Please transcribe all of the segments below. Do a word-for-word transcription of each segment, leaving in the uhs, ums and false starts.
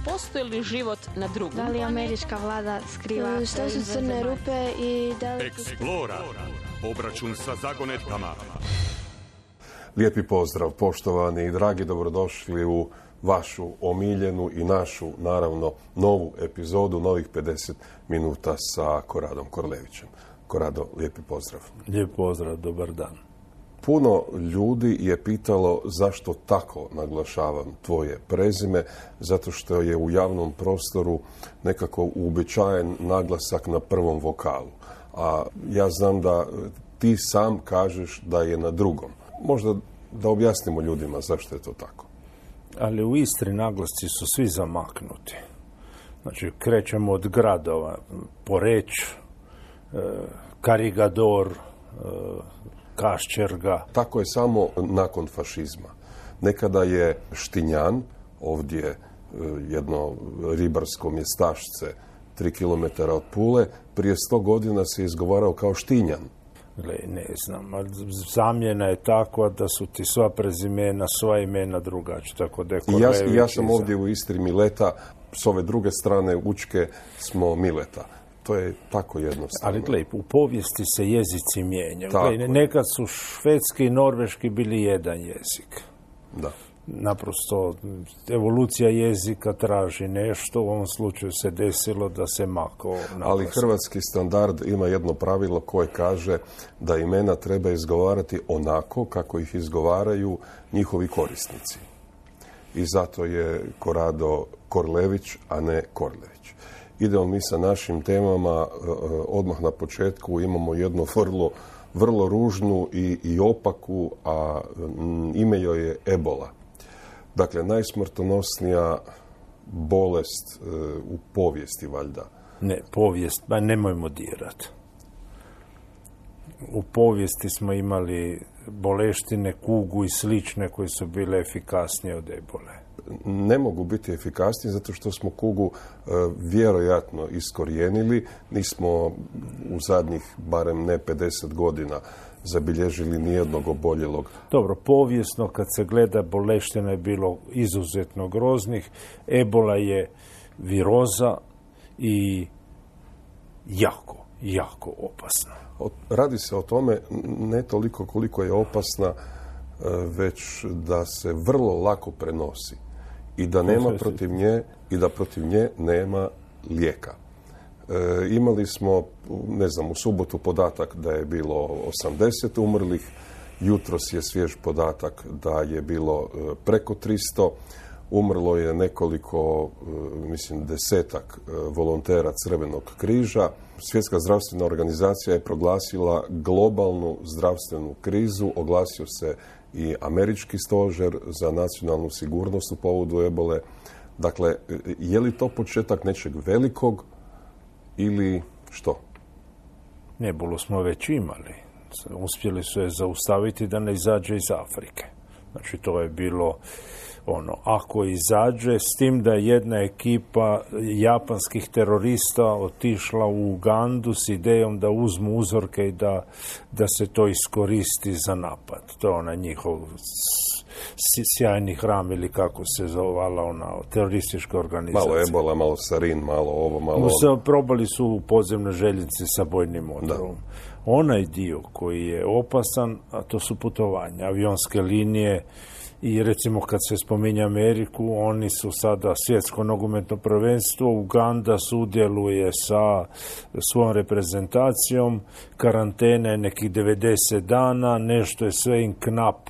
postoji li život na drugom Da li američka vlada skriva? Šta su crne rupe i da li... Eksplora. Obračun sa zagonetkama. Lijepi pozdrav, poštovani i dragi, dobrodošli u vašu omiljenu i našu, naravno, novu epizodu, novih pedeset minuta sa Koradom Korlevićem. Korado, lijepi pozdrav. Lijep pozdrav, dobar dan. Puno ljudi je pitalo zašto tako naglašavam tvoje prezime, zato što je u javnom prostoru nekako uobičajen naglasak na prvom vokalu. A ja znam da ti sam kažeš da je na drugom. Možda da objasnimo ljudima zašto je to tako. Ali u Istri naglasci su svi zamaknuti. Znači, krećemo od gradova, Poreč, Karigador, Kaščerga. Tako je samo nakon fašizma. Nekada je Štinjan, ovdje jedno ribarsko mjestašce, tri kilometra od Pule, prije sto godina se izgovarao kao Štinjan. Gle, ne znam, zamjena je takva da su ti sva prezimena, sva imena drugačija. Tako da je I ja, ja sam ovdje u Istri Mileta, s ove druge strane Učke smo Mileta. To je tako jednostavno. Ali gle, u povijesti se jezici mijenjaju. Gle, nekad su švedski i norveški bili jedan jezik. Da. Naprosto, evolucija jezika traži nešto, u ovom slučaju se desilo da se mako naglasno. Ali hrvatski standard ima jedno pravilo koje kaže da imena treba izgovarati onako kako ih izgovaraju njihovi korisnici. I zato je Korado Korlević, a ne Korlević. Idemo mi sa našim temama, odmah na početku imamo jednu vrlo, vrlo ružnu i, i opaku, a ime joj je ebola. Dakle, najsmrtonosnija bolest e, u povijesti, valjda. Ne, povijest, ba nemojmo dirati. U povijesti smo imali boleštine, kugu i slične koje su bile efikasnije od ebole. Ne mogu biti efikasnije zato što smo kugu e, vjerojatno iskorijenili. Nismo u zadnjih barem ne pedeset godina zabilježili nijednog oboljelog. Dobro, povijesno kad se gleda, boleština je bilo izuzetno groznih. Ebola je viroza i jako, jako opasna. Radi se o tome ne toliko koliko je opasna, već da se vrlo lako prenosi i da nema protiv nje i da protiv nje nema lijeka. E, imali smo, ne znam, u subotu podatak da je bilo osamdeset umrlih, jutros je svjež podatak da je bilo e, preko tristo, umrlo je nekoliko, e, mislim, desetak e, volontera Crvenog križa. Svjetska zdravstvena organizacija je proglasila globalnu zdravstvenu krizu, oglasio se i američki stožer za nacionalnu sigurnost u povodu ebole. Dakle, je li to početak nečeg velikog ili što? Ebolu smo već imali. Uspjeli su je zaustaviti da ne izađe iz Afrike. Znači, to je bilo ono, ako izađe, s tim da je jedna ekipa japanskih terorista otišla u Ugandu s idejom da uzmu uzorke i da, da se to iskoristi za napad. To je ona njihov sjajni hram ili kako se zovala ona teroristička organizacija. Malo ebola, malo sarin, malo ovo, malo ono. Probali su u podzemnoj željeznici sa bojnim motorom. Onaj dio koji je opasan, a to su putovanja, avionske linije. I recimo kad se spominje Ameriku, oni su sada svjetsko nogometno prvenstvo, Uganda sudjeluje sa svojom reprezentacijom, karantene nekih devedeset dana, nešto je sve in knap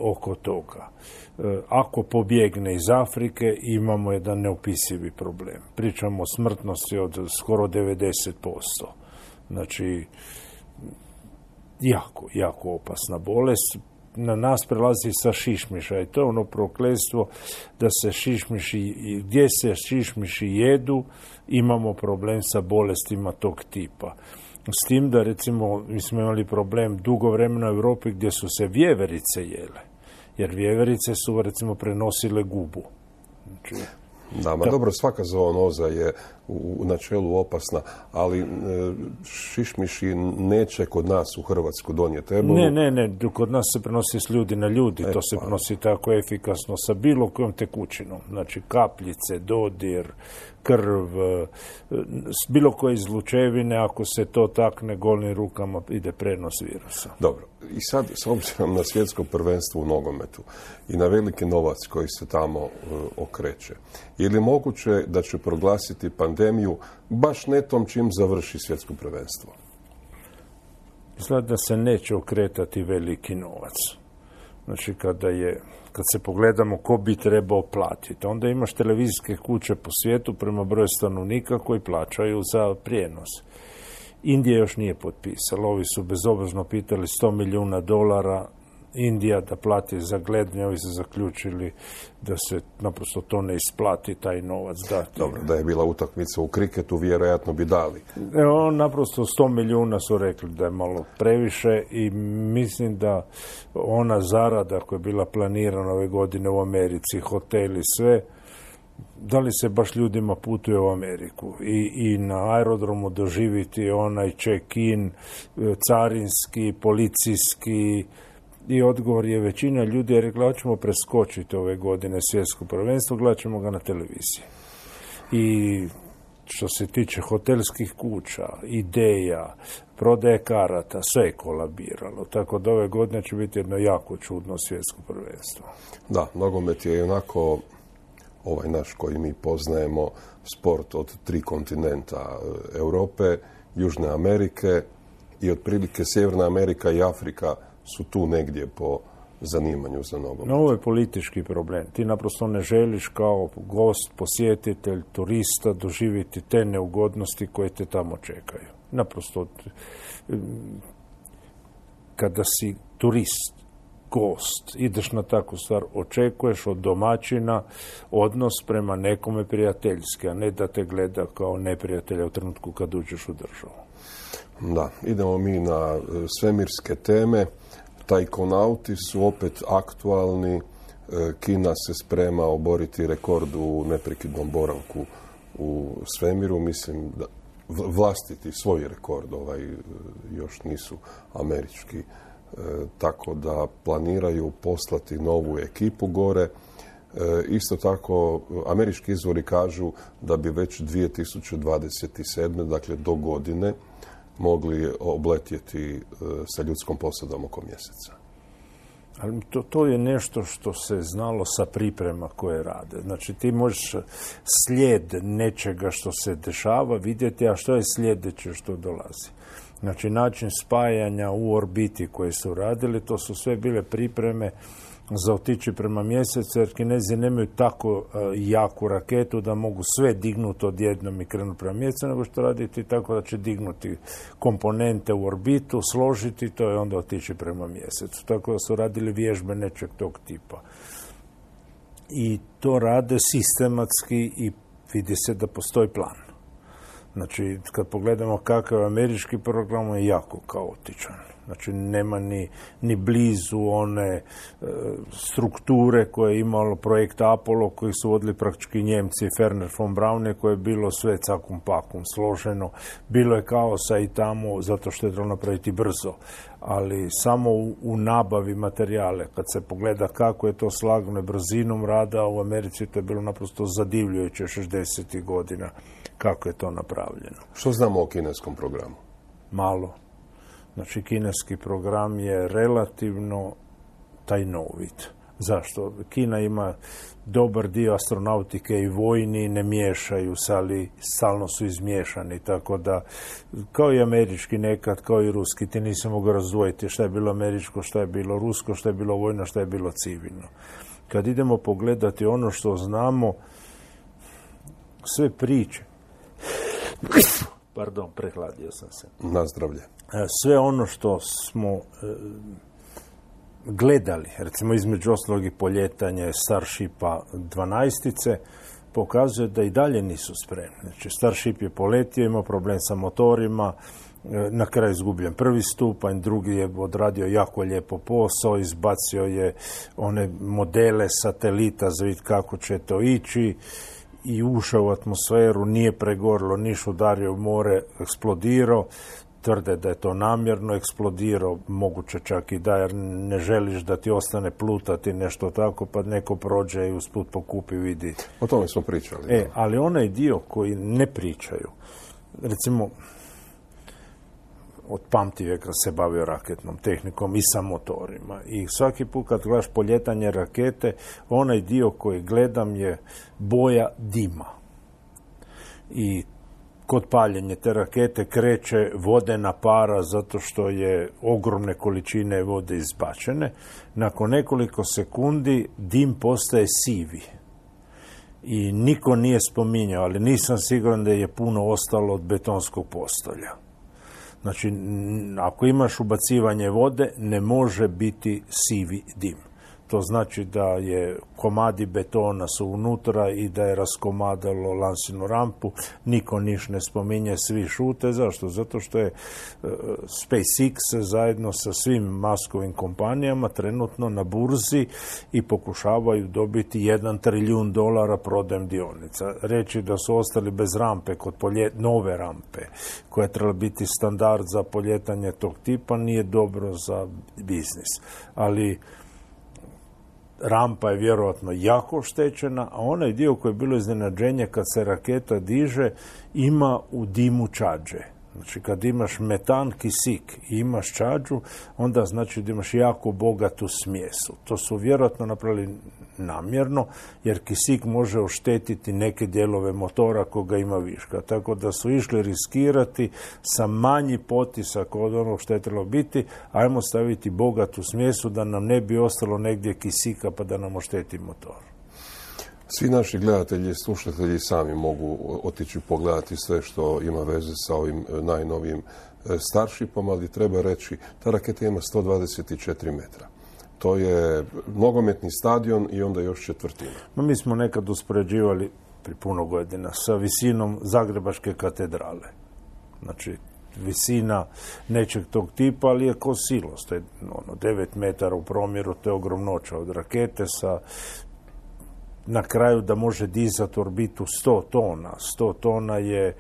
oko toga. Ako pobjegne iz Afrike, imamo jedan neopisivi problem. Pričamo o smrtnosti od skoro devedeset posto. Znači, jako, jako opasna bolest. Na nas prelazi sa šišmiša i to je ono prokletstvo da se šišmiši, gdje se šišmiši jedu, imamo problem sa bolestima tog tipa. S tim da, recimo, mi smo imali problem dugo vremena u Europi gdje su se vjeverice jele, jer vjeverice su, recimo, prenosile gubu. Znači, Da, ma Ta... dobro, svaka zoonoza je u, u načelu opasna, ali e, šišmiši neće kod nas u Hrvatsku donijeti ebolu. Ne, ne, ne, kod nas se prenosi s ljudi na ljudi, e, to se pa. prenosi tako efikasno sa bilo kojom tekućinom, znači kapljice, dodir, krv, s bilo koje izlučevine, ako se to takne golim rukama, ide prenos virusa. Dobro, i sad s obzirom na svjetsko prvenstvo u nogometu i na veliki novac koji se tamo uh, okreće, je li moguće da će proglasiti pandemiju baš netom čim završi svjetsko prvenstvo? Izgleda da se neće okretati veliki novac. Znači, kada je, kad se pogledamo ko bi trebao platiti, onda imaš televizijske kuće po svijetu prema broju stanovnika koji plaćaju za prijenos. Indija još nije potpisala. Ovi su bezobrazno pitali sto milijuna dolara Indija da plati za gledanje, ovi su zaključili da se naprosto to ne isplati, taj novac dati. Dobro, da je bila utakmica u kriketu, vjerojatno bi dali. Evo, naprosto sto milijuna su rekli da je malo previše i mislim da ona zarada koja je bila planirana ove godine u Americi, hoteli, sve, da li se baš ljudima putuje u Ameriku i, i na aerodromu doživiti onaj check-in, carinski, policijski. I odgovor je većina ljudi je rekla, ćemo preskočiti ove godine svjetsko prvenstvo, gledat ćemo ga na televiziji. I što se tiče hotelskih kuća, ideja, prodaje karata, sve je kolabiralo. Tako da ove godine će biti jedno jako čudno svjetsko prvenstvo. Da, nogomet je onako ovaj naš koji mi poznajemo sport od tri kontinenta, Europe, Južne Amerike i otprilike Sjeverna Amerika i Afrika su tu negdje po zanimanju za nogomet. No, ovo je politički problem. Ti naprosto ne želiš kao gost, posjetitelj, turista doživjeti te neugodnosti koje te tamo čekaju. Naprosto, kada si turist, gost, ideš na takvu stvar, očekuješ od domaćina odnos prema nekome prijateljski, a ne da te gleda kao neprijatelja u trenutku kad uđeš u državu. Da, idemo mi na svemirske teme. Tajkonauti su opet aktualni. Kina se sprema oboriti rekord u neprekidnom boravku u svemiru. Mislim da vlastiti svoj rekord, ovaj, još nisu američki. E, tako da planiraju poslati novu ekipu gore. E, isto tako, američki izvori kažu da bi već dvije tisuće dvadeset sedme, dakle do godine, mogli obletjeti e, sa ljudskom posadom oko mjeseca. Ali to, to je nešto što se znalo sa priprema koje rade. Znači, ti možeš slijed nečega što se dešava vidjeti, a što je sljedeće što dolazi. Znači, način spajanja u orbiti koje su radili, to su sve bile pripreme za otići prema mjesecu, jer Kinezi nemaju tako uh, jaku raketu da mogu sve dignuti odjednom i krenuti prema mjesecu, nego što raditi tako da će dignuti komponente u orbitu, složiti to i onda otići prema mjesecu. Tako da su radili vježbe nečeg tog tipa. I to rade sistematski i vidi se da postoji plan. Znači, kad pogledamo kakav je američki program, je jako kaotičan. Znači, nema ni, ni blizu one e, strukture koje je imalo projekt Apollo, koji su vodili praktički Njemci, Ferner von Braun, koje je bilo sve cakum pakum složeno. Bilo je kaosa i tamo, zato što je trebalo napraviti brzo. Ali samo u, u nabavi materijale, kad se pogleda kako je to slagano brzinom rada, u Americi to je bilo naprosto zadivljujuće šezdesetih godina kako je to napravljeno. Što znamo o kineskom programu? Malo. Znači, kineski program je relativno tajnovit. Zašto? Kina ima dobar dio astronautike i vojni, ne miješaju se, ali stalno su izmiješani, tako da, kao i američki nekad, kao i ruski, ti nisi mogu razdvojiti šta je bilo američko, šta je bilo rusko, šta je bilo vojno, šta je bilo civilno. Kad idemo pogledati ono što znamo, sve priče, pardon, prehladio sam se. Na zdravlje. Sve ono što smo e, gledali, recimo između ostalog i poljetanje Starshipa dvanaestice, pokazuje da i dalje nisu spremni. Znači, Starship je poletio, imao problem sa motorima, e, na kraju izgubljen prvi stupanj, drugi je odradio jako lijepo posao, izbacio je one modele satelita za vidjeti kako će to ići i ušao u atmosferu, nije pregorilo, niš udario u more, eksplodirao. Tvrde da je to namjerno eksplodirao, moguće čak i da, jer ne želiš da ti ostane plutati nešto tako, pa neko prođe i usput pokupi, vidi. O tome smo pričali. E, da. Ali onaj dio koji ne pričaju, recimo, od pamtivijeka se bavio raketnom tehnikom i sa motorima. I svaki put kad gledaš poljetanje rakete, onaj dio koji gledam je boja dima. I kod paljenja te rakete kreće vodena para zato što je ogromne količine vode izbačene. Nakon nekoliko sekundi dim postaje sivi. I niko nije spominjao, ali nisam siguran da je puno ostalo od betonskog postolja. Znači, ako imaš ubacivanje vode, ne može biti sivi dim. To znači da je komadi betona su unutra i da je raskomadalo lansinu rampu. Niko niš ne spominje, svi šute. Zašto? Zato što je uh, SpaceX zajedno sa svim maskovim kompanijama trenutno na burzi i pokušavaju dobiti jedan trilijun dolara prodajem dionica. Reći da su ostali bez rampe, kod polje, nove rampe, koja je trebala biti standard za poljetanje tog tipa, nije dobro za biznis. Ali rampa je vjerojatno jako oštećena, a onaj dio koji je bilo iznenađenje kad se raketa diže, ima u dimu čađe. Znači, kad imaš metan, kisik i imaš čađu, onda znači da imaš jako bogatu smjesu. To su vjerojatno napravili namjerno, jer kisik može oštetiti neke dijelove motora koga ima viška. Tako da su išli riskirati sa manji potisak od onog što je trebalo biti, ajmo staviti bogatu smjesu da nam ne bi ostalo negdje kisika pa da nam ošteti motor. Svi naši gledatelji i slušatelji sami mogu otići pogledati sve što ima veze sa ovim najnovijim Starshipom, ali treba reći, ta raketa ima sto dvadeset četiri metra. To je nogometni stadion i onda još četvrtina. No, mi smo nekad uspoređivali pri puno godina sa visinom Zagrebačke katedrale. Znači, visina nečeg tog tipa, ali je ko silos. To je ono, devet metara u promjeru, to je ogromnoća od rakete sa na kraju da može dizati orbitu sto tona. sto tona je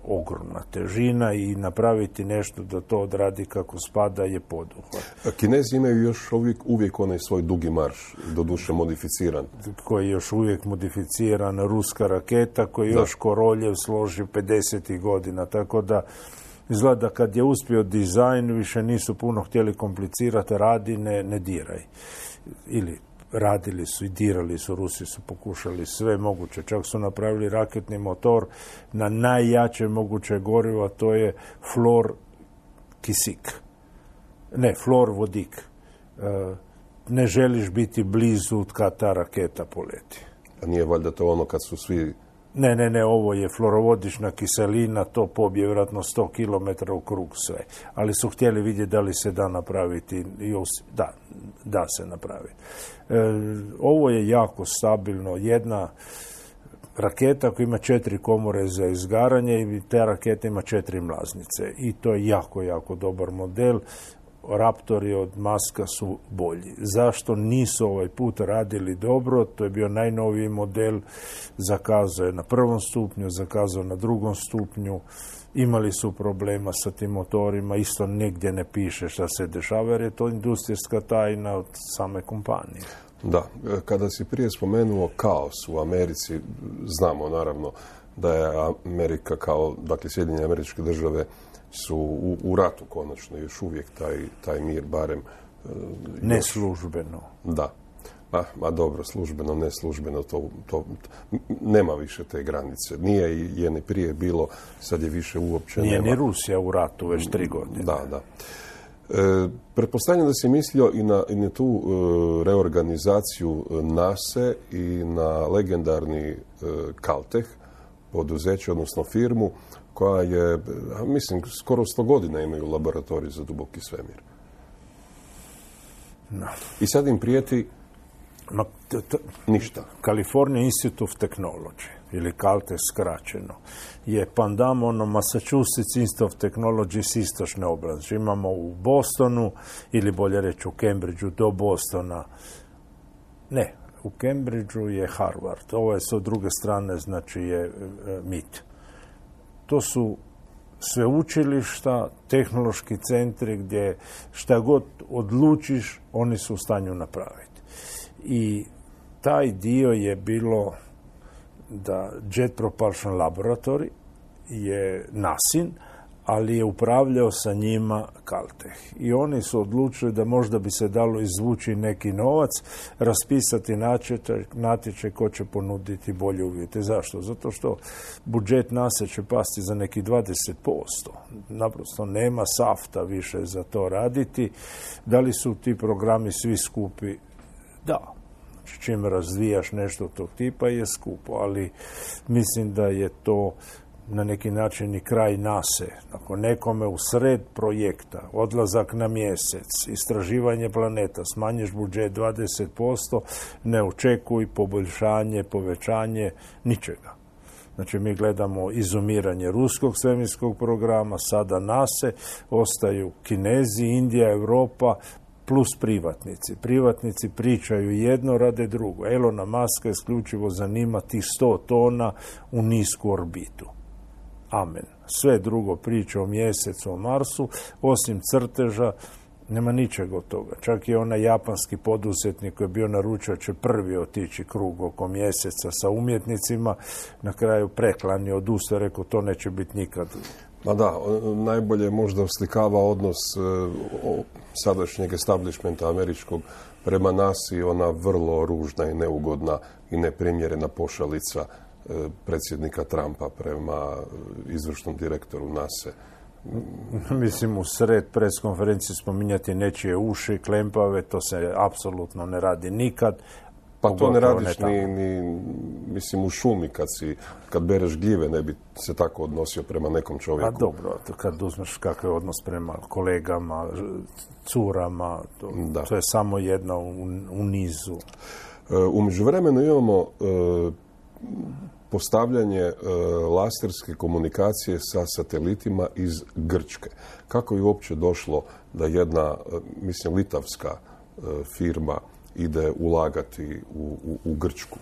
ogromna težina i napraviti nešto da to odradi kako spada je poduhvat. Kinezi imaju još uvijek, uvijek onaj svoj dugi marš, doduše modificiran. Koji je još uvijek modificiran, ruska raketa koju još Koroljev složi pedesetih godina. Tako da izgleda kad je uspio dizajn, više nisu puno htjeli komplicirati, radi, ne, ne diraj. Ili radili su i dirali su, Rusi su pokušali sve moguće. Čak su napravili raketni motor na najjače moguće gorivo, to je flor kisik. Ne, flor vodik. E, ne želiš biti blizu kad ta raketa poleti. A nije valjda to ono kad su svi... Ne, ne, ne, ovo je fluorovodična kiselina, to pobije vjerojatno sto kilometara u krug sve. Ali su htjeli vidjeti da li se da napraviti. Da, da se napravi. E, ovo je jako stabilno. Jedna raketa koja ima četiri komore za izgaranje i ta raketa ima četiri mlaznice. I to je jako, jako dobar model. Raptori od Muska su bolji. Zašto nisu ovaj put radili dobro? To je bio najnoviji model, zakazao je na prvom stupnju, zakazao na drugom stupnju, imali su problema sa tim motorima, isto negdje ne piše šta se dešava, jer je to industrijska tajna od same kompanije. Da, kada si prije spomenuo kaos u Americi, znamo naravno da je Amerika kao, dakle Sjedinjene Američke Države su u, u ratu konačno, još uvijek taj, taj mir barem... Neslužbeno. Da. Ma, ma dobro, službeno, neslužbeno, to, to, nema više te granice. Nije je ni prije bilo, sad je više uopće Nije nema. Ni Rusija u ratu već tri godine. Da, da. E, pretpostavljam da si mislio i na, i na tu e, reorganizaciju NASA i na legendarni e, Caltech, poduzeće, odnosno firmu, koja je, mislim, skoro sto godina imaju laboratorij za duboki svemir. No. I sad im prijeti Ma, t- t- ništa. California Institute of Technology, ili Caltech skraćeno, je pandam ono Massachusetts Institute of Technology s istočne oblasti. Imamo u Bostonu, ili bolje reći u Cambridgeu do Bostona, ne, u Cambridgeu je Harvard, ovo je sa druge strane, znači je e, M I T. To su sveučilišta, tehnološki centri gdje šta god odlučiš, oni su u stanju napraviti. I taj dio je bilo da Jet Propulsion Laboratory je nasin, ali je upravljao sa njima Caltech. I oni su odlučili da možda bi se dalo izvući neki novac, raspisati natječaj, natječaj ko će ponuditi bolje uvjete. Zašto? Zato što budžet nase će pasti za neki dvadeset posto. Naprosto nema safta više za to raditi. Da li su ti programi svi skupi? Da. Znači, čim razvijaš nešto tog tipa je skupo, ali mislim da je to na neki način i kraj nase. Ako nekome u sred projekta, odlazak na mjesec, istraživanje planeta, smanjiš budžet dvadeset posto, ne očekuj poboljšanje, povećanje, ničega. Znači, mi gledamo izumiranje ruskog svemirskog programa, sada nase, ostaju Kinezi, Indija, Europa, plus privatnici. Privatnici pričaju jedno, rade drugo. Elona Muska isključivo zanima tih sto tona u nisku orbitu. Amen. Sve drugo priča o mjesecu, o Marsu, osim crteža, nema ničega od toga. Čak i onaj japanski poduzetnik koji je bio naručio će prvi otići krug oko mjeseca sa umjetnicima, na kraju preklanio, odustao, rekao to neće biti nikad. Ma da, najbolje možda oslikava odnos o, sadašnjeg establishmenta američkog prema nasi, ona vrlo ružna i neugodna i neprimjerena pošalica predsjednika Trumpa prema izvršnom direktoru nase. Mislim, u sred pres konferencije spominjati nečije uši, klempave, to se apsolutno ne radi nikad. Pa to ne radiš ni, ni, mislim, u šumi kad, si, kad bereš gljive, ne bi se tako odnosio prema nekom čovjeku. A dobro, kad uzmeš kakav je odnos prema kolegama, curama, to, to je samo jedna u, u nizu. U međuvremenu imamo e, postavljanje e, laserske komunikacije sa satelitima iz Grčke. Kako je uopće došlo da jedna, e, mislim, litavska e, firma ide ulagati u, u, u Grčku?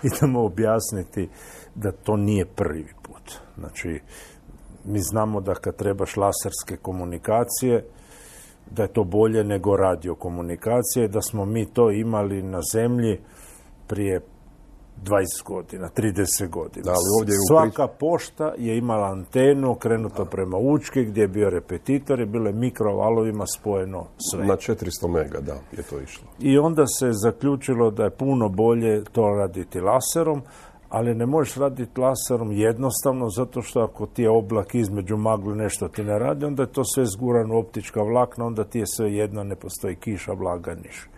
Idemo objasniti da to nije prvi put. Znači, mi znamo da kad trebaš laserske komunikacije, da je to bolje nego radiokomunikacije, da smo mi to imali na zemlji prije dvadeset godina, trideset godina. Da, ali ovdje je Svaka pošta je imala antenu okrenuto prema Učki, gdje je bio repetitor i bilo je mikrovalovima spojeno sve. Na četiristo mega, da, je to išlo. I onda se zaključilo da je puno bolje to raditi laserom, ali ne možeš raditi laserom jednostavno, zato što ako ti je oblak između magle nešto ti ne radi, onda je to sve zgurano u optička vlakna, onda ti je sve jedno, ne postoji kiša, vlaga, niš.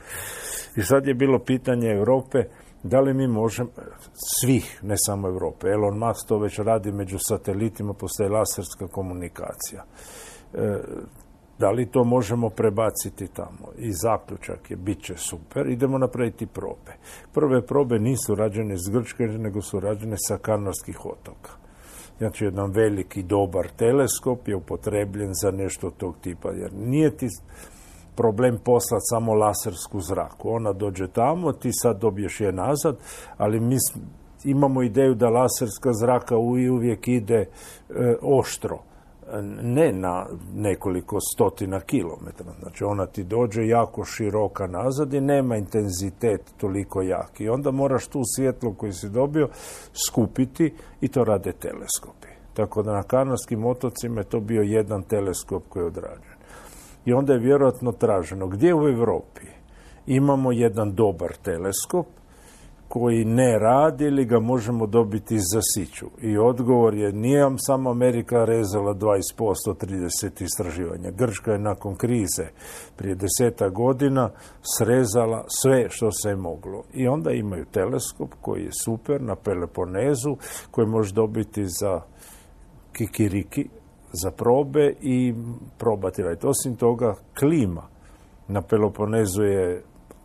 I sad je bilo pitanje Europe, da li mi možemo, svih, ne samo Europe, Elon Musk to već radi među satelitima, postoji laserska komunikacija. E, da li to možemo prebaciti tamo? I zaključak je, bit će super, idemo napraviti probe. Prve probe nisu rađene iz Grčke, nego su rađene sa Kanarskih otoka. Znači, jedan veliki, dobar teleskop je upotrebljen za nešto tog tipa, jer nije ti problem poslati samo lasersku zraku. Ona dođe tamo, ti sad dobiješ je nazad, ali mi imamo ideju da laserska zraka uvijek ide e, oštro, ne na nekoliko stotina kilometara. Znači, ona ti dođe jako široka nazad i nema intenzitet toliko jak. I onda moraš tu svjetlo koju si dobio skupiti i to rade teleskopi. Tako da na Kanarskim otocima je to bio jedan teleskop koji je odrađen. I onda je vjerojatno traženo gdje u Europi imamo jedan dobar teleskop koji ne radi ili ga možemo dobiti za siću. I odgovor je, nije vam samo Amerika rezala dvadeset posto, trideset istraživanja. Grčka je nakon krize prije desetak godina srezala sve što se je moglo. I onda imaju teleskop koji je super na Peloponezu, koji može dobiti za kikiriki, za probe i probati raditi. Osim toga, klima na Peloponezu je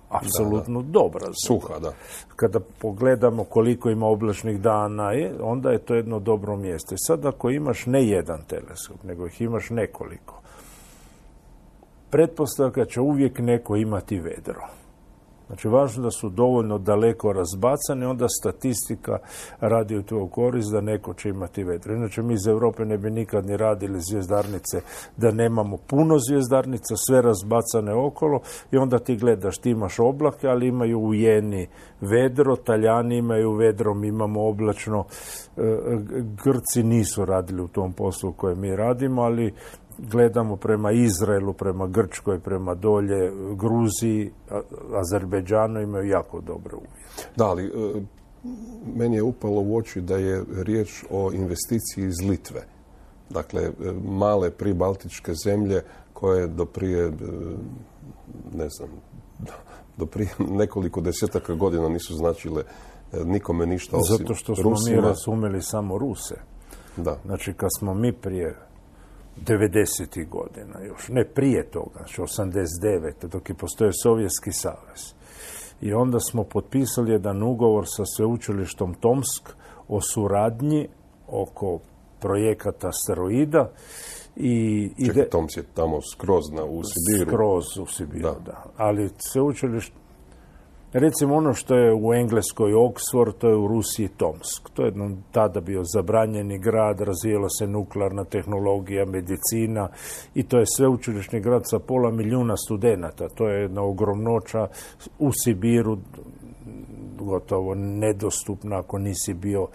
apsolutno da, da. dobra. Suha, da. Kada pogledamo koliko ima oblačnih dana, je, onda je to jedno dobro mjesto. I sad ako imaš ne jedan teleskop, nego ih imaš nekoliko, pretpostavka će uvijek neko imati vedro. Znači, važno da su dovoljno daleko razbacani, onda statistika radi u tvoj korist da neko će imati vedro. Inače, mi iz Europe ne bi nikad ni radili zvjezdarnice da nemamo puno zvjezdarnica, sve razbacane okolo i onda ti gledaš, ti imaš oblake, ali imaju u Jeni vedro, Talijani imaju vedro, mi imamo oblačno. Grci nisu radili u tom poslu koje mi radimo, ali gledamo prema Izraelu, prema Grčkoj, prema dolje Gruziji, Azerbejdžanu imaju jako dobre uvjete. Da, ali e, meni je upalo u oči da je riječ o investiciji iz Litve. Dakle, e, male pribaltičke zemlje koje do prije, e, ne znam, do prije nekoliko desetaka godina nisu značile e, nikome ništa osim Zato što smo Rusima. mi razumeli samo Ruse. Da. Znači, kad smo mi prije devedesetih godina još, ne prije toga, znači osamdeset devete dok je postojao Sovjetski savez. I onda smo potpisali jedan ugovor sa sveučilištom Tomsk o suradnji oko projekata asteroida. I Čekaj, ide... Tomsk je tamo skroz na, u Sibiru. Skroz u Sibiru, da. Da. da. Ali sveučilište, recimo ono što je u Engleskoj Oxford, to je u Rusiji Tomsk. To je jednom tada bio zabranjeni grad, razvijala se nuklearna tehnologija, medicina i to je sveučilišni grad sa pola milijuna studenata. To je jedna ogromnoća u Sibiru, gotovo nedostupna ako nisi bio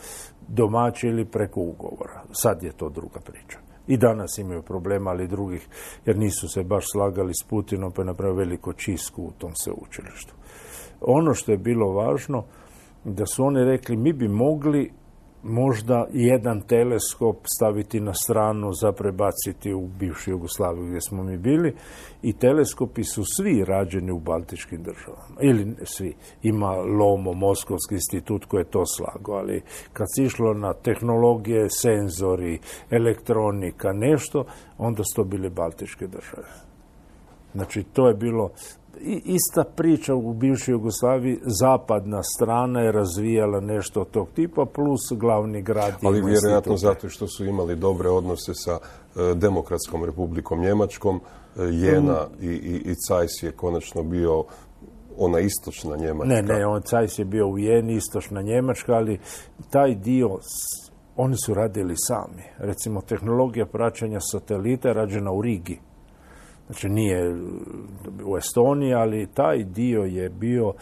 domaći ili preko ugovora. Sad je to druga priča. I danas imaju problema, ali drugih, jer nisu se baš slagali s Putinom, pa je napravio veliko čistku u tom sveučilištu. Ono što je bilo važno, da su oni rekli, mi bi mogli možda jedan teleskop staviti na stranu za prebaciti u bivšu Jugoslaviju gdje smo mi bili i teleskopi su svi rađeni u baltičkim državama. Ili svi. Ima Lomo, Moskovski institut koji je to slagao, ali kad se išlo na tehnologije, senzori, elektronika, nešto, onda su to bile baltičke države. Znači, to je bilo I, ista priča u bivšoj Jugoslaviji, zapadna strana je razvijala nešto od tog tipa, plus glavni grad. Ali vjerojatno zato što su imali dobre odnose sa e, Demokratskom republikom Njemačkom, e, Jena mm. i, i, i Cajs je konačno bio ona istočna Njemačka. Ne, ne, on Cajs je bio u Jeni, istočna Njemačka, ali taj dio oni su radili sami. Recimo, tehnologija praćenja satelita je rađena u Rigi. Znači, nije u Estoniji, ali taj dio je bio,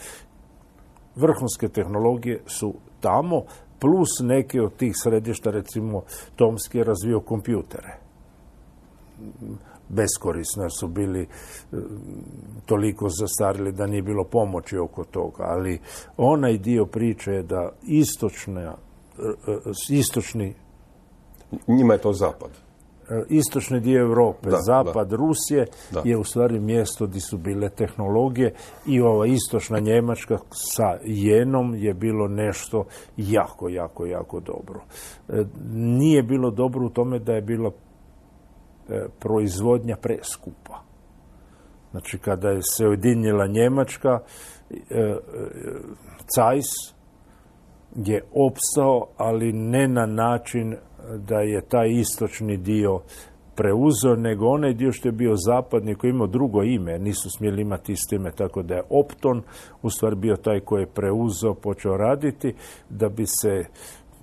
vrhunske tehnologije su tamo, plus neke od tih središta, recimo, Tomsk je razvio kompjutere. Beskorisno su bili toliko zastarili da nije bilo pomoći oko toga, ali onaj dio priče je da istočna, istočni... Njima je to zapad. Istočni dio Europe, da, zapad da. Rusije da. je u stvari mjesto gdje su bile tehnologije i ova istočna Njemačka sa Jenom je bilo nešto jako, jako, jako dobro. E, nije bilo dobro u tome da je bila e, proizvodnja preskupa. Znači, kada je se ujedinila Njemačka, e, e, Cajs je opstao, ali ne na način da je taj istočni dio preuzeo, nego onaj dio što je bio zapadni, koji je imao drugo ime, nisu smjeli imati isto ime, tako da je Opton u stvari bio taj koji je preuzeo, počeo raditi, da bi se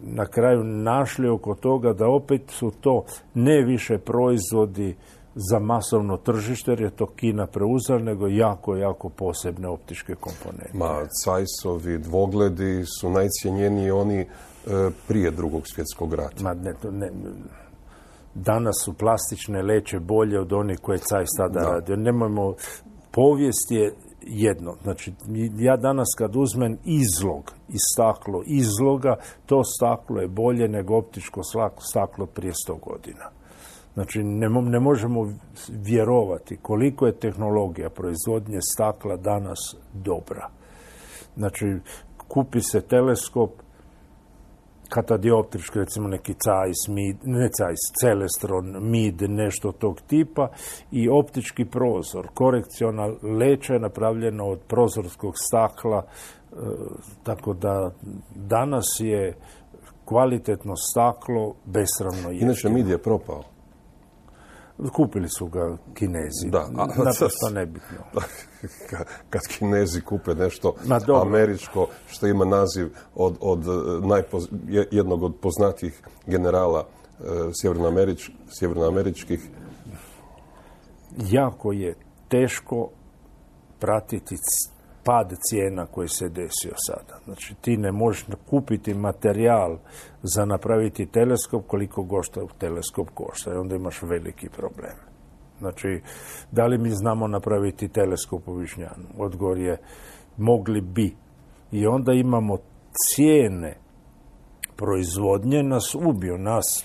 na kraju našli oko toga da opet su to ne više proizvodi za masovno tržište, jer je to Kina preuzela, nego jako, jako posebne optičke komponente. Ma, Cajsovi dvogledi su najcijenjeniji oni e, prije drugog svjetskog rata. Ma, ne, ne, danas su plastične leće bolje od onih koje je Cajs tada da. radio. Nemojmo, povijest je jedno. Znači, ja danas kad uzmem izlog i staklo izloga, to staklo je bolje nego optičko staklo prije sto godina. Znači, ne, ne možemo vjerovati koliko je tehnologija proizvodnje stakla danas dobra. Znači, kupi se teleskop, katadioptrički, recimo neki Zeiss, Mid, ne Zeiss, Celestron, Mid, nešto tog tipa, i optički prozor. Korekciona leća je napravljena od prozorskog stakla, e, tako da danas je kvalitetno staklo besramno jeftino. Inače, Mid je propao. Kupili su ga Kinezi. Da, a, naprosto nebitno. Kad Kinezi kupe nešto Ma, američko, što ima naziv od, od najpoz, jednog od poznatijih generala e, sjevernoamerič, sjevernoameričkih. Jako je teško pratiti pad cijena koji se desio sada. Znači, ti ne možeš kupiti materijal za napraviti teleskop koliko košta teleskop košta i onda imaš veliki problem. Znači, da li mi znamo napraviti teleskop u Višnjanu? Odgovor je, mogli bi. I onda imamo cijene proizvodnje, nas ubiju, nas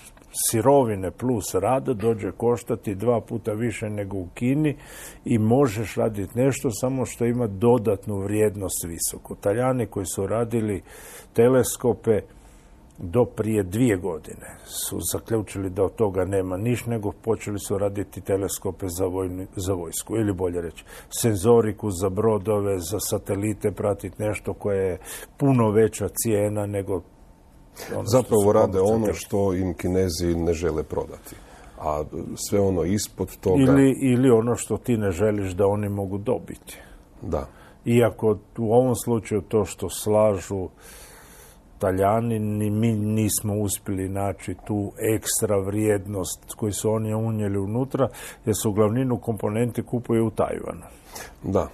sirovine plus rad dođe koštati dva puta više nego u Kini i možeš raditi nešto samo što ima dodatnu vrijednost visoko. Talijani koji su radili teleskope do prije dvije godine su zaključili da od toga nema niš, nego počeli su raditi teleskope za, vojnu, za vojsku, ili bolje reći, senzoriku za brodove, za satelite, pratiti nešto koje je puno veća cijena nego ono zapravo rade ono što im Kinezi ne žele prodati. A sve ono ispod toga... Ili, ili ono što ti ne želiš da oni mogu dobiti. Da. Iako u ovom slučaju to što slažu Talijani, ni mi nismo uspjeli naći tu ekstra vrijednost koju su oni unijeli unutra, jer su glavninu komponenti kupuju u Tajvanu. Da.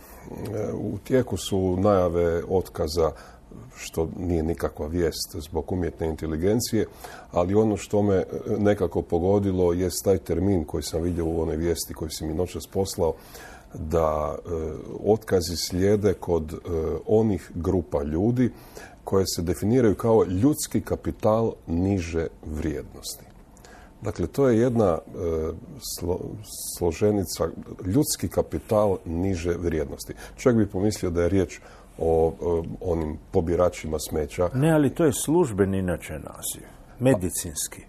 U tijeku su najave otkaza, što nije nikakva vijest zbog umjetne inteligencije, ali ono što me nekako pogodilo je taj termin koji sam vidio u onoj vijesti koju si mi noćas poslao, da e, otkazi slijede kod e, onih grupa ljudi koje se definiraju kao ljudski kapital niže vrijednosti. Dakle, to je jedna e, slo, složenica, ljudski kapital niže vrijednosti. Čovjek bi pomislio da je riječ o, o onim pobiračima smeća. Ne, ali to je službeni inače naziv, medicinski.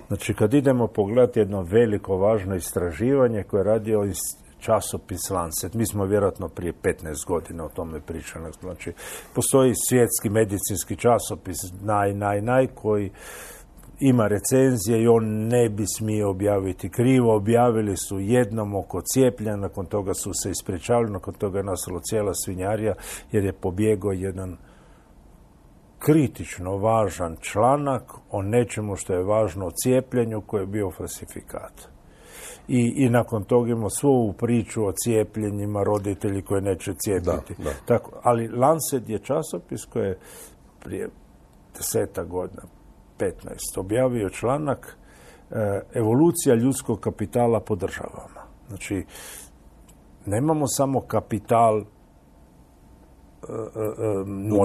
Znači, kad idemo pogledati jedno veliko, važno istraživanje koje je radio časopis Lancet, mi smo vjerojatno prije petnaest godina o tome pričali. Znači, postoji svjetski medicinski časopis, naj, naj, naj, koji ima recenzije i on ne bi smio objaviti krivo. Objavili su jednom oko cijepljenja, nakon toga su se ispričavali, nakon toga je nastala cijela svinjarija jer je pobjegao jedan kritično važan članak o nečemu što je važno o cijepljenju koji je bio falsifikat. I, i nakon toga imamo svu ovu priču o cijepljenjima, roditelji koji neće cijepiti. Da, da. Tako, ali Lancet je časopis koji je prije deseta godina, petnaest, objavio članak e, evolucija ljudskog kapitala po državama. Znači, nemamo samo kapital e, e,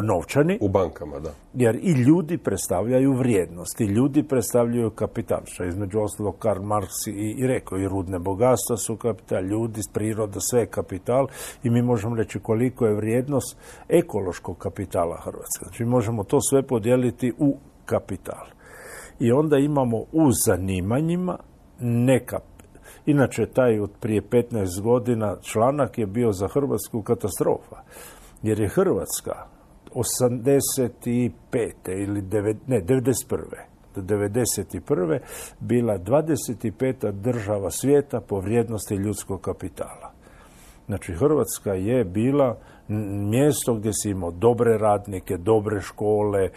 novčani. U bankama, da. Jer i ljudi predstavljaju vrijednost, i ljudi predstavljaju kapital, što je između ostalog Karl Marx i, i rekao, i rudne bogatstva su kapital, ljudi, priroda, sve je kapital i mi možemo reći koliko je vrijednost ekološkog kapitala Hrvatske. Znači, možemo to sve podijeliti u kapital. I onda imamo u zanimanjima neka. Inače, taj od prije petnaest godina članak je bio za Hrvatsku katastrofa. Jer je Hrvatska osamdeset pete ili devet, ne, devedeset prve do devedeset prve bila dvadeset peta država svijeta po vrijednosti ljudskog kapitala. Znači, Hrvatska je bila mjesto gdje si imao dobre radnike, dobre škole,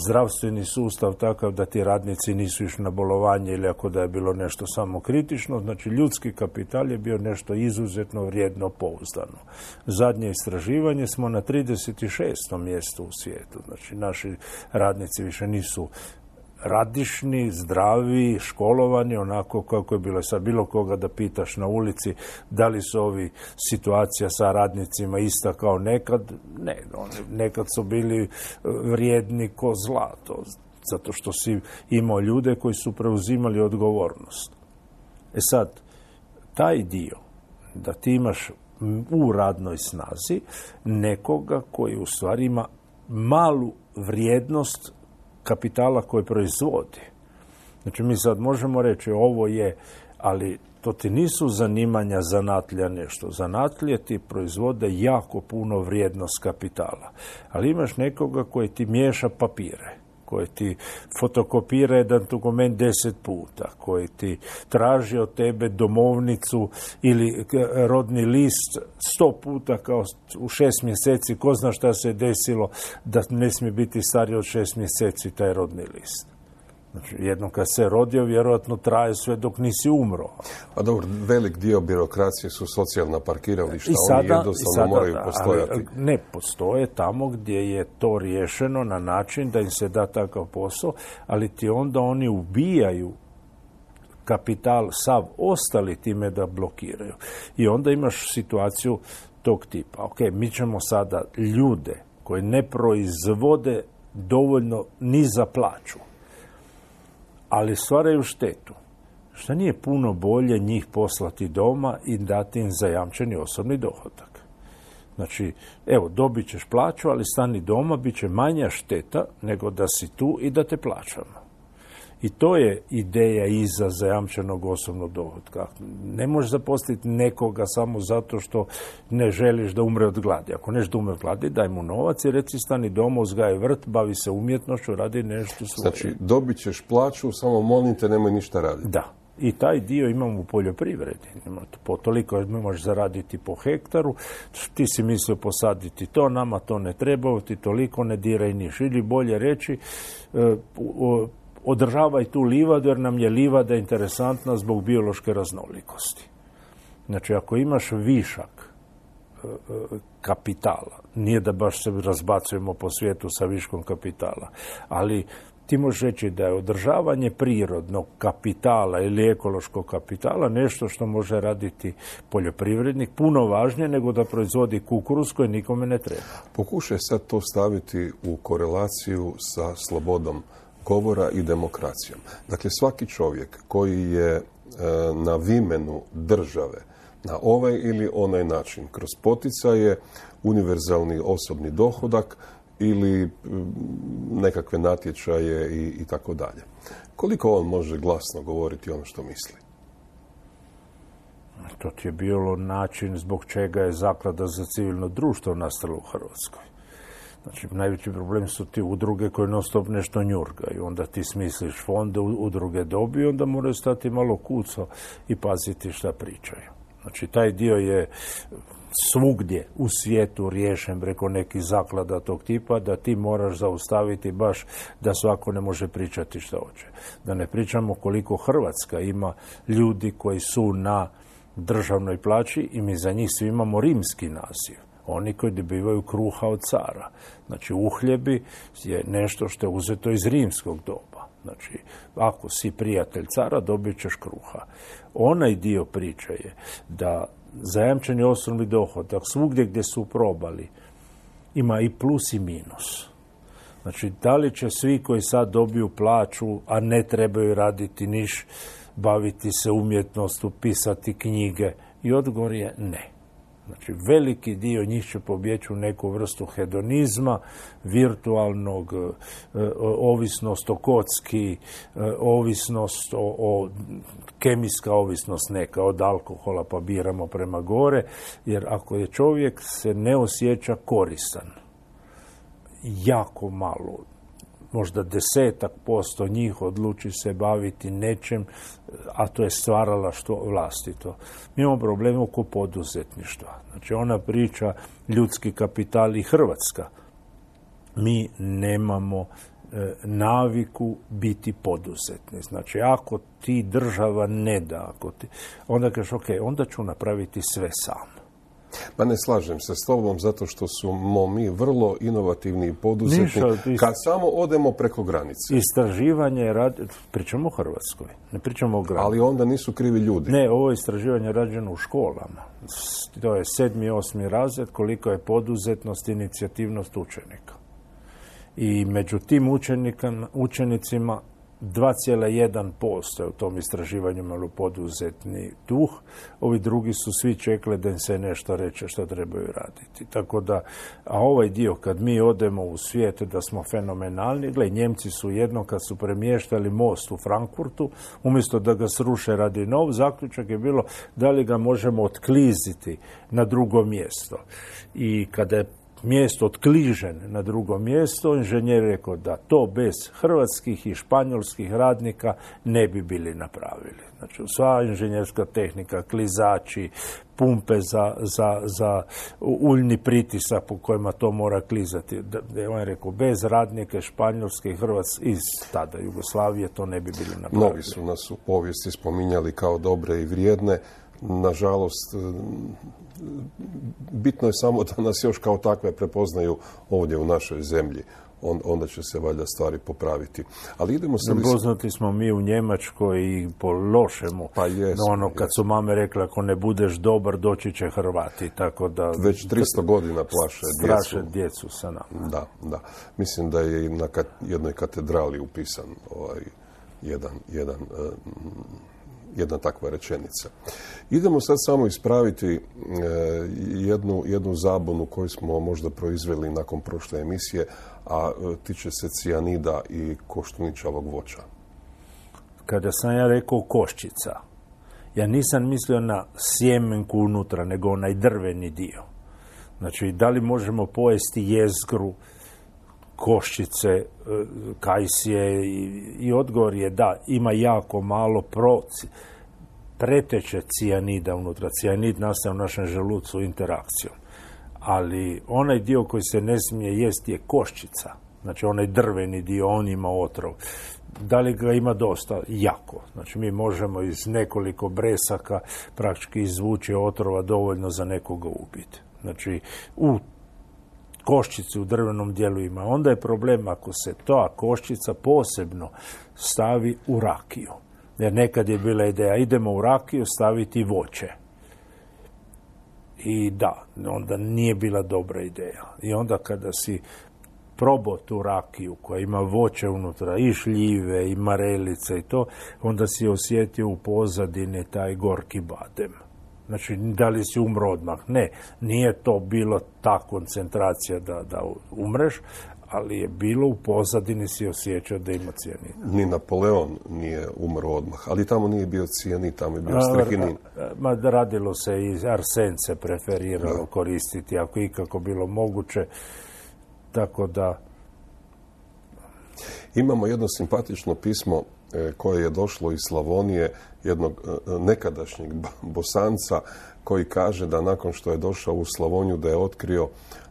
zdravstveni sustav takav da ti radnici nisu išli na bolovanje ili ako da je bilo nešto samo kritično. Znači, ljudski kapital je bio nešto izuzetno vrijedno, pouzdano. Zadnje istraživanje smo na trideset šestom mjestu u svijetu. Znači, naši radnici više nisu radišni, zdravi, školovani, onako kako je bilo sad bilo koga da pitaš na ulici da li su ovi situacija sa radnicima ista kao nekad. Ne, oni nekad su bili vrijedni ko zlato, zato što si imao ljude koji su preuzimali odgovornost. E sad, taj dio da ti imaš u radnoj snazi nekoga koji u stvari ima malu vrijednost kapitala koji proizvodi. Znači, mi sad možemo reći ovo je, ali to ti nisu zanimanja zanatlja nešto. Zanatlje ti proizvode jako puno vrijednost kapitala. Ali imaš nekoga koji ti miješa papire, koji ti fotokopira jedan dokument deset puta, koji ti traži od tebe domovnicu ili rodni list sto puta kao u šest mjeseci, ko zna šta se desilo da ne smije biti stariji od šest mjeseci taj rodni list. Znači, jednom kad se rodio, vjerojatno traje sve dok nisi umro. A dobro, velik dio birokracije su socijalna parkirališta, I sada, oni jednostavno sada, moraju da, postojati. Ali ne postoje tamo gdje je to riješeno na način da im se da takav posao, ali ti onda oni ubijaju kapital sav ostali time da blokiraju. I onda imaš situaciju tog tipa. Ok, mi ćemo sada ljude koji ne proizvode dovoljno ni za plaću, ali stvaraju štetu. Šta nije puno bolje njih poslati doma i dati im zajamčeni osobni dohodak? Znači, evo, dobit ćeš plaću, ali stani doma, bit će manja šteta nego da si tu i da te plaćamo. I to je ideja iza zajamčenog osobnog dohotka. Ne možeš zaposliti nekoga samo zato što ne želiš da umre od gladi. Ako neš da umre od gladi, daj mu novac i reci stani doma, uzgaji vrt, bavi se umjetnošću, radi nešto svoje. Znači, dobit ćeš plaću, samo molim te, nemoj ništa raditi. Da. I taj dio imamo u poljoprivredi. Po toliko možeš zaraditi po hektaru, ti si mislio posaditi to, nama to ne treba, ti toliko ne diraj niš. Ili bolje reći, održavaj tu livadu jer nam je livada interesantna zbog biološke raznolikosti. Znači, ako imaš višak kapitala, nije da baš se razbacujemo po svijetu sa viškom kapitala, ali ti možeš reći da je održavanje prirodnog kapitala ili ekološkog kapitala nešto što može raditi poljoprivrednik puno važnije nego da proizvodi kukuruz koji nikome ne treba. Pokušaj sad to staviti u korelaciju sa slobodom govora i demokracijom. Dakle, svaki čovjek koji je e, na vimenu države na ovaj ili onaj način, kroz poticaje, univerzalni osobni dohodak ili nekakve natječaje i, i tako dalje. Koliko on može glasno govoriti ono što misli? To ti je bilo način zbog čega je Zaklada za civilno društvo nastala u Hrvatskoj. Znači, najveći problem su ti udruge koje non stop nešto njurgaju. Onda ti smisliš fonde, udruge dobiju, onda moraju stati malo kuco i paziti šta pričaju. Znači, taj dio je svugdje u svijetu riješen preko nekih zaklada tog tipa, da ti moraš zaustaviti baš da svako ne može pričati šta hoće. Da ne pričamo koliko Hrvatska ima ljudi koji su na državnoj plaći i mi za njih svi imamo rimski naziv. Oni koji dobivaju kruha od cara. Znači, uhljebi je nešto što je uzeto iz rimskog doba. Znači, ako si prijatelj cara, dobit ćeš kruha. Onaj dio priče je da zajamčeni osobni dohodak svugdje gdje su probali ima i plus i minus. Znači, da li će svi koji sad dobiju plaću, a ne trebaju raditi niš, baviti se umjetnostu, pisati knjige? I odgovor je ne. Znači, veliki dio njih će pobjeći u neku vrstu hedonizma, virtualnog, ovisnost o kocki, ovisnost o, o kemijska ovisnost neka, od alkohola pa biramo prema gore, jer ako je čovjek se ne osjeća koristan, jako malo, možda desetak posto njih odluči se baviti nečem, a to je stvaralaštvo vlastito. Mi imamo problem oko poduzetništva. Znači, ona priča ljudski kapital i Hrvatska. Mi nemamo e, naviku biti poduzetni. Znači, ako ti država ne da, ako ti, onda kažeš, ok, onda ću napraviti sve sam. Pa ne slažem se s tobom zato što smo mi vrlo inovativni i poduzetni Niša, kad samo odemo preko granice. Istraživanje je rađeno, pričamo o Hrvatskoj, ne pričamo o granici. Ali onda nisu krivi ljudi. Ne, ovo je istraživanje rađeno u školama. To je sedmi, osmi razred, koliko je poduzetnost, inicijativnost učenika. I među tim učenicima dva zarez jedan posto je u tom istraživanju malo poduzetni duh. Ovi drugi su svi čekali da im se nešto reče što trebaju raditi. Tako da, a ovaj dio kad mi odemo u svijet da smo fenomenalni, gle, Njemci su jedno kad su premještali most u Frankfurtu, umjesto da ga sruše radi nov, zaključak je bilo da li ga možemo otkliziti na drugo mjesto. I kada je mjesto otkližen na drugo mjesto, inženjer rekao da to bez hrvatskih i španjolskih radnika ne bi bili napravili. Znači, sva inženjerska tehnika, klizači, pumpe za, za, za uljni pritisak po kojima to mora klizati. Da, on je rekao, bez radnike španjolske i hrvatske iz tada Jugoslavije to ne bi bili napravili. Mnogi su nas u povijesti spominjali kao dobre i vrijedne. Nažalost, bitno je samo da nas još kao takve prepoznaju ovdje u našoj zemlji. On, onda će se valjda stvari popraviti. Ali idemo se... Poznati smo mi u Njemačkoj i po lošemu. Pa jesmo, ono, kad su mame rekle, ako ne budeš dobar, doći će Hrvati. Tako da... Već tristo godina plaše djecu. Straše djecu sa nama. Da, da. Mislim da je i na kat, jednoj katedrali upisan ovaj, jedan... jedan uh, jedna takva rečenica. Idemo sad samo ispraviti e, jednu, jednu zabunu koju smo možda proizveli nakon prošle emisije, a e, tiče se cijanida i koštuničavog voća. Kada sam ja rekao koščica, ja nisam mislio na sjemenku unutra, nego onaj drveni dio. Znači, da li možemo pojesti jezgru, koščice, kajsije i, i odgovor je da, ima jako malo proci, preteče cijanida unutra. Cijanid nastaje u našem želucu interakcijom. Ali onaj dio koji se ne smije jesti je koščica. Znači onaj drveni dio, on ima otrov. Da li ga ima dosta? Jako. Znači mi možemo iz nekoliko bresaka praktički izvući otrova dovoljno za nekoga ubiti. Znači u koščici u drvenom dijelu ima. Onda je problem ako se ta koščica posebno stavi u rakiju. Jer nekad je bila ideja, idemo u rakiju staviti voće. I da, onda nije bila dobra ideja. I onda kada si probao tu rakiju koja ima voće unutra, i šljive, i marelice i to, onda si osjetio u pozadini taj gorki badem. Znači, da li si umro odmah? Ne, nije to bilo ta koncentracija da, da umreš, ali je bilo u pozadini si osjećao da ima cijanid. Ni Napoleon nije umro odmah, ali tamo nije bio cijanid, tamo je bio strihinin. Ma radilo se i arsen se preferiralo da. koristiti, ako ikako bilo moguće, tako da... Imamo jedno simpatično pismo koje je došlo iz Slavonije, jednog nekadašnjeg Bosanca, koji kaže da nakon što je došao u Slavoniju da je otkrio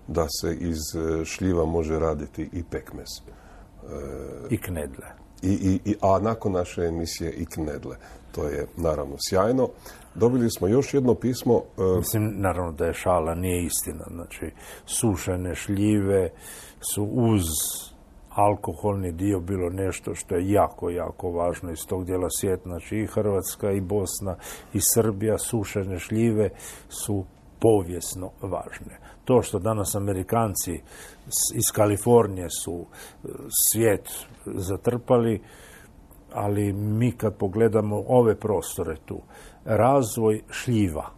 da se iz šljiva može raditi i pekmez. I knedle. I, i, i, a nakon naše emisije i knedle. To je naravno sjajno. Dobili smo još jedno pismo. Mislim, naravno da je šala, nije istina. Znači, sušene šljive su uz alkoholni dio bilo nešto što je jako, jako važno iz tog dijela svijeta. Znači i Hrvatska, i Bosna, i Srbija, sušene šljive su povijesno važne. To što danas Amerikanci iz Kalifornije su svijet zatrpali, ali mi kad pogledamo ove prostore tu, razvoj šljiva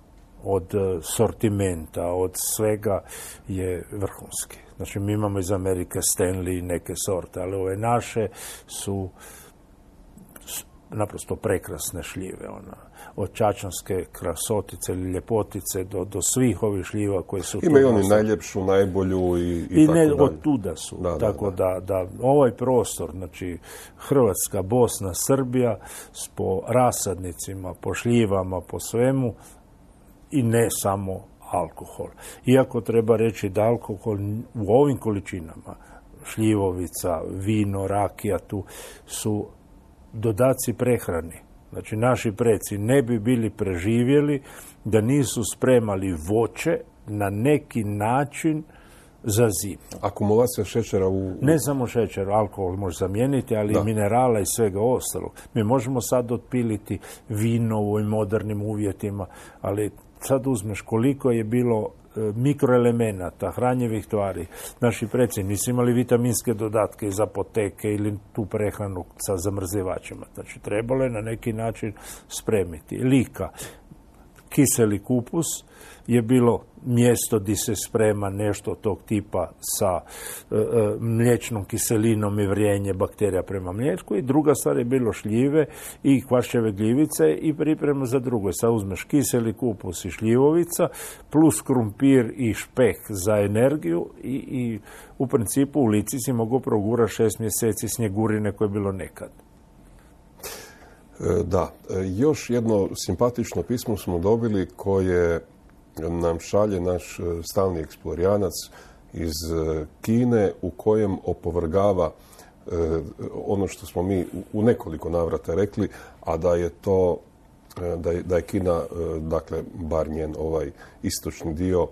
od sortimenta, od svega je vrhunski. Znači, mi imamo iz Amerike Stanley i neke sorte, ali ove naše su naprosto prekrasne šljive. Ona. Od čačanske krasotice ili ljepotice do, do svih ovih šljiva koje su... Imaju oni najljepšu, najbolju i, i, I tako ne, dalje. od tuda su. Da, tako da, da. Da, da ovaj prostor, znači Hrvatska, Bosna, Srbija, po rasadnicima, po šljivama, po svemu, i ne samo alkohol. Iako treba reći da alkohol u ovim količinama, šljivovica, vino, rakija, tu su dodaci prehrani. Znači, naši preci ne bi bili preživjeli da nisu spremali voće na neki način za zimu. Akumulacija šećera u... Ne samo šećer, alkohol može zamijeniti, ali da. i minerala i svega ostalog. Mi možemo sad otpiliti vino u ovim modernim uvjetima, ali sad uzmeš koliko je bilo mikroelemenata, hranjivih tvari. Naši preci nisu imali vitaminske dodatke iz apoteke ili tu prehranu sa zamrzivačima. Znači, trebalo je na neki način spremiti. Lika. kiseli kupus je bilo mjesto gdje se sprema nešto tog tipa sa e, e, mliječnom kiselinom i vrijenje bakterija prema mliječku, i druga stvar je bilo šljive i kvašćeve gljivice i priprema za drugo. Sad uzmeš kiseli kupus i šljivovica plus krumpir i špek za energiju i, i u principu u Lici si mogu progurati šest mjeseci snjegurine koje je bilo nekad. Da, još jedno simpatično pismo smo dobili koje nam šalje naš stalni eksplorijanac iz Kine, u kojem opovrgava ono što smo mi u nekoliko navrata rekli, a da je to, da je, da je Kina, dakle, bar njen ovaj istočni dio,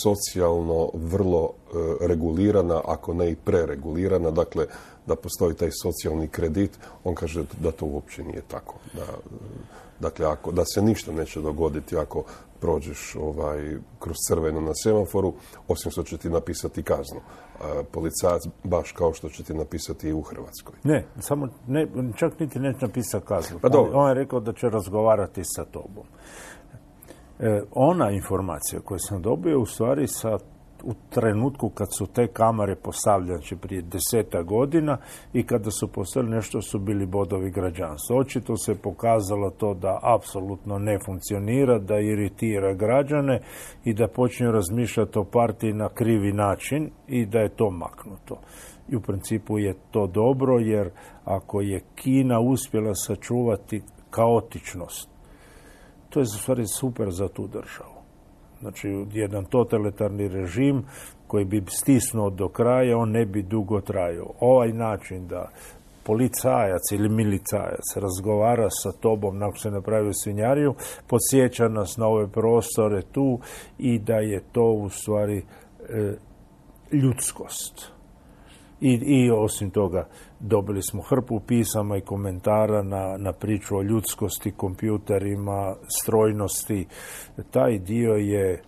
socijalno vrlo regulirana, ako ne i preregulirana, dakle, da postoji taj socijalni kredit. On kaže da to uopće nije tako. Da, dakle, ako, da se ništa neće dogoditi ako prođeš ovaj, kroz crveno na semaforu, osim što će ti napisati kaznu. A, policajac baš kao što će ti napisati i u Hrvatskoj. Ne, samo ne, čak niti neće napisati kaznu. Pa on je rekao da će razgovarati sa tobom. E, ona informacija koju sam dobio u stvari sa, u trenutku kad su te kamere postavljene, znači prije deseta godina, i kada su postavili nešto su bili bodovi građanstva. Očito se pokazalo to da apsolutno ne funkcionira, da iritira građane i da počinju razmišljati o partiji na krivi način i da je to maknuto. I u principu je to dobro, jer ako je Kina uspjela sačuvati kaotičnost, to je u stvari super za tu državu. Znači, jedan totalitarni režim koji bi stisnuo do kraja, on ne bi dugo trajao. Ovaj način da policajac ili milicajac razgovara sa tobom nakon se napravi svinjariju, podsjeća nas na ove prostore tu i da je to u stvari e, ljudskost. I, I osim toga, dobili smo hrpu pisama i komentara na, na priču o ljudskosti, kompjuterima, strojnosti. Taj dio je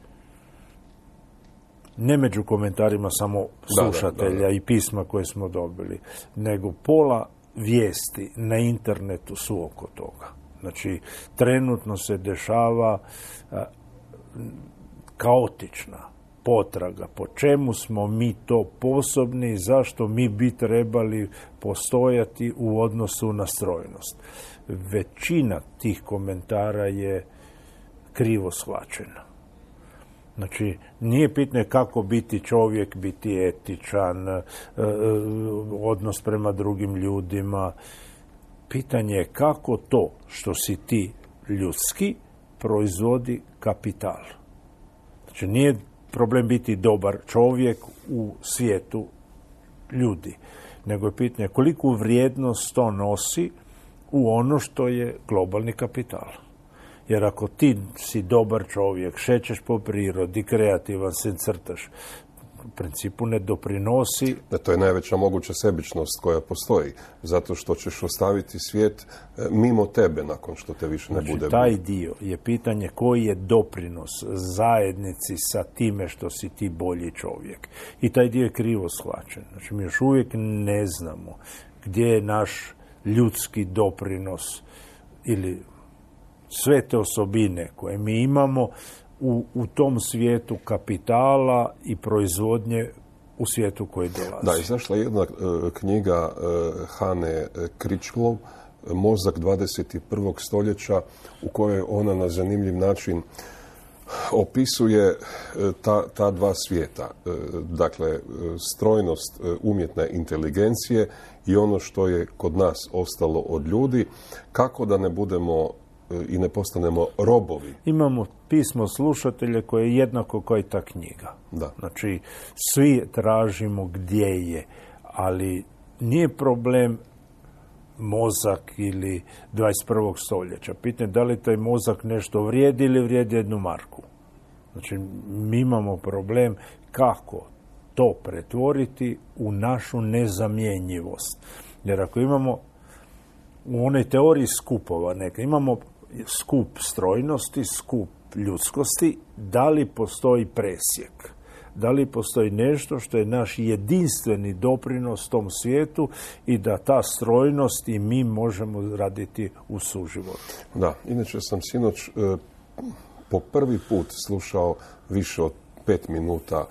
ne među komentarima samo slušatelja da, da, da, da. i pisma koje smo dobili, nego pola vijesti na internetu su oko toga. Znači, trenutno se dešava a, kaotična potraga, po čemu smo mi to sposobni, zašto mi bi trebali postojati u odnosu na strojnost. Većina tih komentara je krivo shvaćena. Znači, nije pitanje kako biti čovjek, biti etičan, odnos prema drugim ljudima. Pitanje je kako to što si ti ljudski proizvodi kapital. Znači, nije problem biti dobar čovjek u svijetu ljudi, nego je pitanje koliku vrijednost to nosi u ono što je globalni kapital. Jer ako ti si dobar čovjek, šećeš po prirodi, kreativan se crtaš, u principu ne doprinosi. Da, to je najveća moguća sebičnost koja postoji, zato što ćeš ostaviti svijet mimo tebe nakon što te više ne znači, bude. Taj dio je pitanje koji je doprinos zajednici sa time što si ti bolji čovjek. I taj dio je krivo shvaćen. Znači, mi još uvijek ne znamo gdje je naš ljudski doprinos ili sve te osobine koje mi imamo U, u tom svijetu kapitala i proizvodnje u svijetu koji dolazi. Da, izašla je jedna uh, knjiga uh, Hane Kričlov, Mozak dvadeset prvog stoljeća, u kojoj ona na zanimljiv način opisuje uh, ta, ta dva svijeta. Uh, dakle, uh, strojnost uh, umjetne inteligencije i ono što je kod nas ostalo od ljudi, kako da ne budemo i ne postanemo robovi. Imamo pismo slušatelja koje je jednako kao i ta knjiga. Da. Znači, svi tražimo gdje je, ali nije problem mozak ili dvadeset prvog stoljeća. Pitanje da li taj mozak nešto vrijedi ili vrijedi jednu marku. Znači, mi imamo problem kako to pretvoriti u našu nezamjenjivost. Jer ako imamo u onoj teoriji skupova neka, imamo skup strojnosti, skup ljudskosti, da li postoji presjek? Da li postoji nešto što je naš jedinstveni doprinos tom svijetu i da ta strojnost i mi možemo raditi u suživotu? Da, inače sam sinoć e, po prvi put slušao više od pet minuta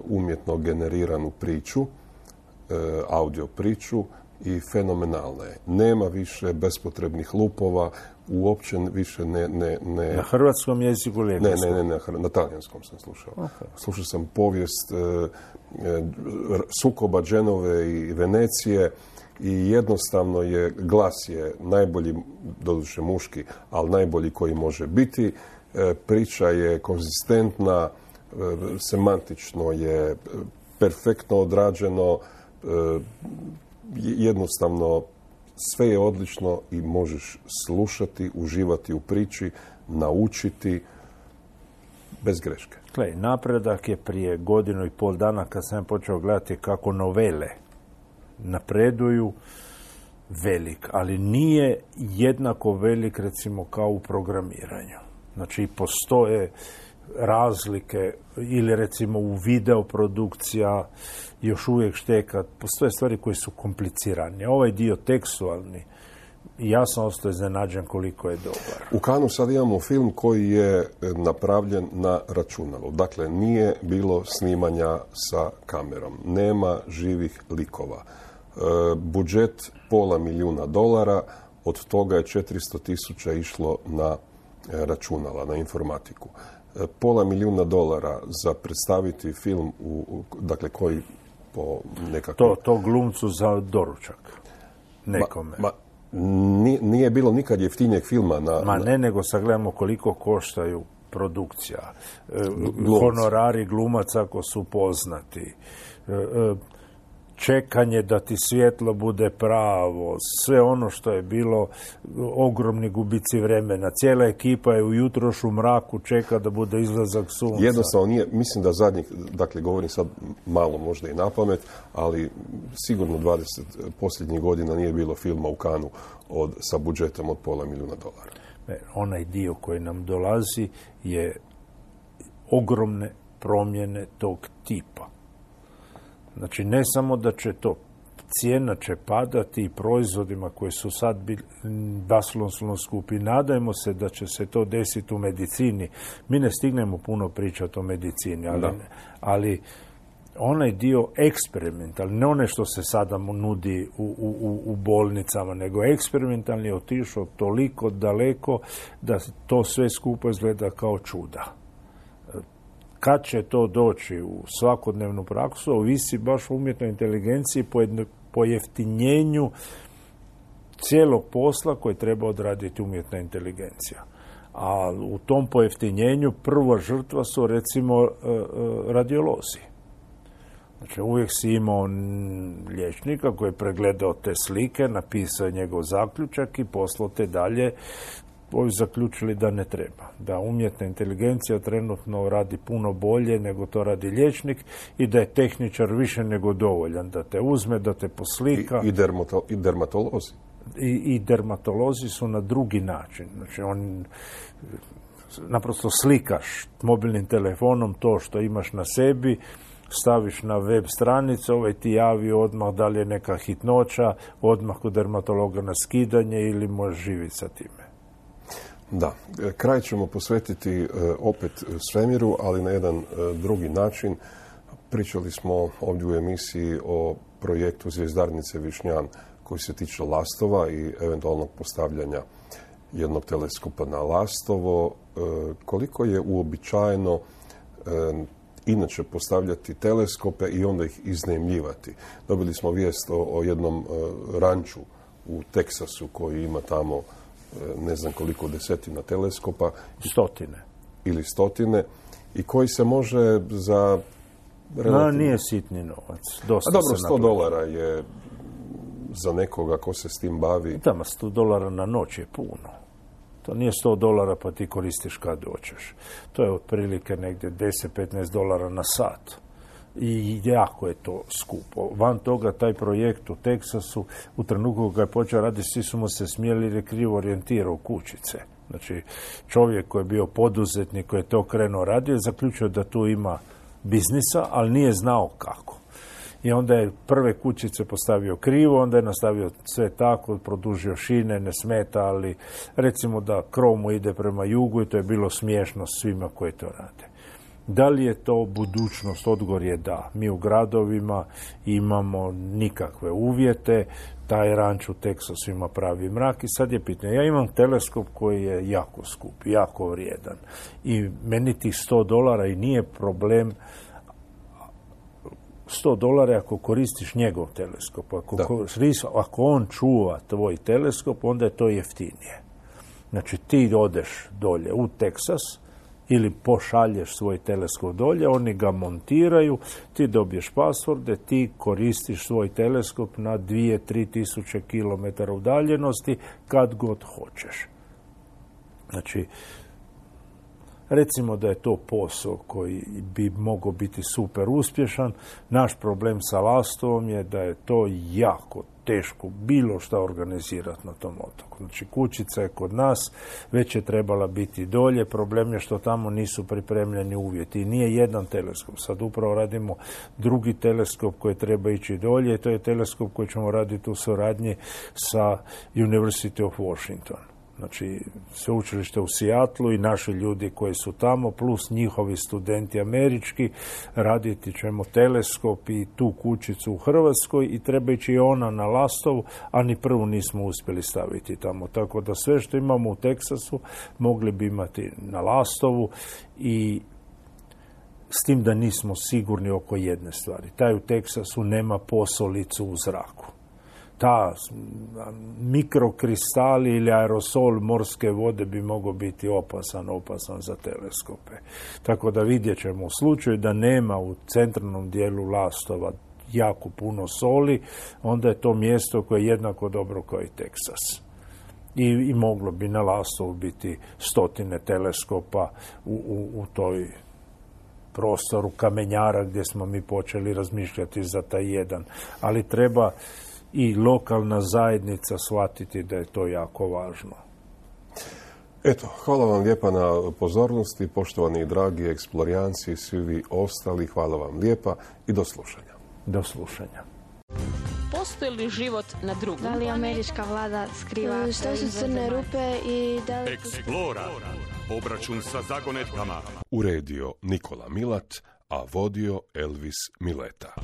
umjetno generiranu priču, audio priču, i fenomenalna je. Nema više bespotrebnih lupova, uopće više ne... ne, ne na hrvatskom jeziku ili ne, ne, ne, ne, na talijanskom sam slušao. Okay. Slušao sam povijest e, e, sukoba Dženove i Venecije i jednostavno je, glas je najbolji, doduše muški, ali najbolji koji može biti. E, priča je konzistentna, e, semantično je perfektno odrađeno, e, jednostavno sve je odlično i možeš slušati, uživati u priči, naučiti bez greške. Gle, napredak je prije godinu i pol dana kad sam počeo gledati kako novele napreduju velik, ali nije jednako velik recimo kao u programiranju. Znači postoje razlike ili recimo u videoprodukcija još uvijek šteka. Postoje stvari koje su komplicirane. Ovaj dio tekstualni, ja sam ostao iznenađen koliko je dobar. U Cannesu sad imamo film koji je napravljen na računalu. Dakle, nije bilo snimanja sa kamerom. Nema živih likova. E, budžet pola milijuna dolara, od toga je četiristo tisuća išlo na računala, na informatiku. Pola milijuna dolara za predstaviti film, u, dakle, koji po nekakvom... To, to glumcu za doručak nekome. Ma, ma, nije bilo nikad jeftinijeg filma na... Ma ne, nego sagledamo koliko koštaju produkcija. Glumci. Honorari glumaca ako su poznati. Čekanje da ti svjetlo bude pravo, sve ono što je bilo, ogromni gubici vremena. Cijela ekipa je ujutro u mraku čeka da bude izlazak sunca. Jednostavno nije, mislim da zadnjih, dakle govorim sad malo možda i na pamet, ali sigurno dvadeset posljednjih godina nije bilo filma u Cannesu od, sa budžetom od pola milijuna dolara. Ne, onaj dio koji nam dolazi je ogromne promjene tog tipa. Znači, ne samo da će to, cijena će padati i proizvodima koji su sad bili baslovno skupi. Nadajmo se da će se to desiti u medicini. Mi ne stignemo puno pričati o medicini, ali, ali onaj dio eksperimentalni, ne one što se sada mu nudi u, u, u bolnicama, nego eksperimentalni je otišao toliko daleko da to sve skupo izgleda kao čuda. Kad će to doći u svakodnevnu praksu, ovisi baš o umjetnoj inteligenciji, pojeftinjenju cijelog posla koji treba odraditi umjetna inteligencija. A u tom pojeftinjenju prva žrtva su recimo radiolozi. Znači uvijek si imao liječnika koji je pregledao te slike, napisao njegov zaključak i poslao te dalje. Ovi zaključili da ne treba. Da umjetna inteligencija trenutno radi puno bolje nego to radi liječnik i da je tehničar više nego dovoljan. Da te uzme, da te poslika. I, i, dermato, i dermatolozi. I, I dermatolozi su na drugi način. Znači on naprosto slikaš mobilnim telefonom to što imaš na sebi, staviš na web stranicu, ovaj ti javi odmah da li je neka hitnoća, odmah kod dermatologa na skidanje ili možeš živjeti sa time. Da, kraj ćemo posvetiti opet svemiru, ali na jedan drugi način. Pričali smo ovdje u emisiji o projektu Zvjezdarnice Višnjan koji se tiče Lastova i eventualnog postavljanja jednog teleskopa na Lastovo. Koliko je uobičajeno inače postavljati teleskope i onda ih iznajmljivati? Dobili smo vijest o, o jednom ranču u Teksasu koji ima tamo ne znam koliko desetina teleskopa. Stotine. Ili stotine. I koji se može za... Relativno... No, nije sitni novac. Dosta A dobro, sto dolara je za nekoga ko se s tim bavi. Tamo, sto dolara na noć je puno. To nije sto dolara pa ti koristiš kad doćeš. To je otprilike negdje deset do petnaest dolara na sat. I jako je to skupo. Van toga, taj projekt u Teksasu, u trenutku kad je počeo raditi, svi su mu se smijeli jer je krivo orijentirao u kućice. Znači, čovjek koji je bio poduzetnik, koji je to krenuo radio, zaključio da tu ima biznisa, ali nije znao kako. I onda je prve kućice postavio krivo, onda je nastavio sve tako, produžio šine, ne smeta, ali recimo da krov mu ide prema jugu i to je bilo smiješno svima koji to rade. Da li je to budućnost? Odgovor je da. Mi u gradovima imamo nikakve uvjete, taj ranč u Teksasu ima pravi mrak i sad je pitanje. Ja imam teleskop koji je jako skup, jako vrijedan i meni tih sto dolara i nije problem sto dolara ako koristiš njegov teleskop. Ako, ako on čuva tvoj teleskop, onda je to jeftinije. Znači ti odeš dolje u Teksas ili pošalješ svoj teleskop dolje, oni ga montiraju, ti dobiješ pasvorde, ti koristiš svoj teleskop na dvije do tri tisuće kilometara udaljenosti kad god hoćeš. Znači, recimo da je to posao koji bi mogao biti super uspješan. Naš problem sa Lastovom je da je to jako teško bilo šta organizirati na tom otoku. Znači, kućica je kod nas, već je trebala biti dolje. Problem je što tamo nisu pripremljeni uvjeti. I nije jedan teleskop. Sad upravo radimo drugi teleskop koji treba ići dolje. I to je teleskop koji ćemo raditi u suradnji sa University of Washington. Znači, sveučilište u Seattlu i naši ljudi koji su tamo, plus njihovi studenti američki, raditi ćemo teleskop i tu kućicu u Hrvatskoj i treba ići i ona na Lastovu, a ni prvu nismo uspjeli staviti tamo. Tako da sve što imamo u Teksasu mogli bi imati na Lastovu i s tim da nismo sigurni oko jedne stvari. Taj u Teksasu nema posolicu u zraku. Ta mikrokristali ili aerosol morske vode bi mogao biti opasan, opasan za teleskope. Tako da vidjet ćemo u slučaju da nema u centralnom dijelu Lastova jako puno soli, onda je to mjesto koje je jednako dobro kao i Teksas. I, i moglo bi na Lastovu biti stotine teleskopa u, u, u toj prostoru kamenjara gdje smo mi počeli razmišljati za taj jedan. Ali treba i lokalna zajednica shvatiti da je to jako važno. Eto, hvala vam lijepa na pozornosti, poštovani i dragi eksplorijanci i svi vi ostali, hvala vam lijepa i do slušanja. Do slušanja. Postoji li život na drugom? Da li američka vlada skriva Što su crne rupe i da li... Eksplora. Obračun sa zagonetkama. Uredio Nikola Milat, a vodio Elvis Mileta.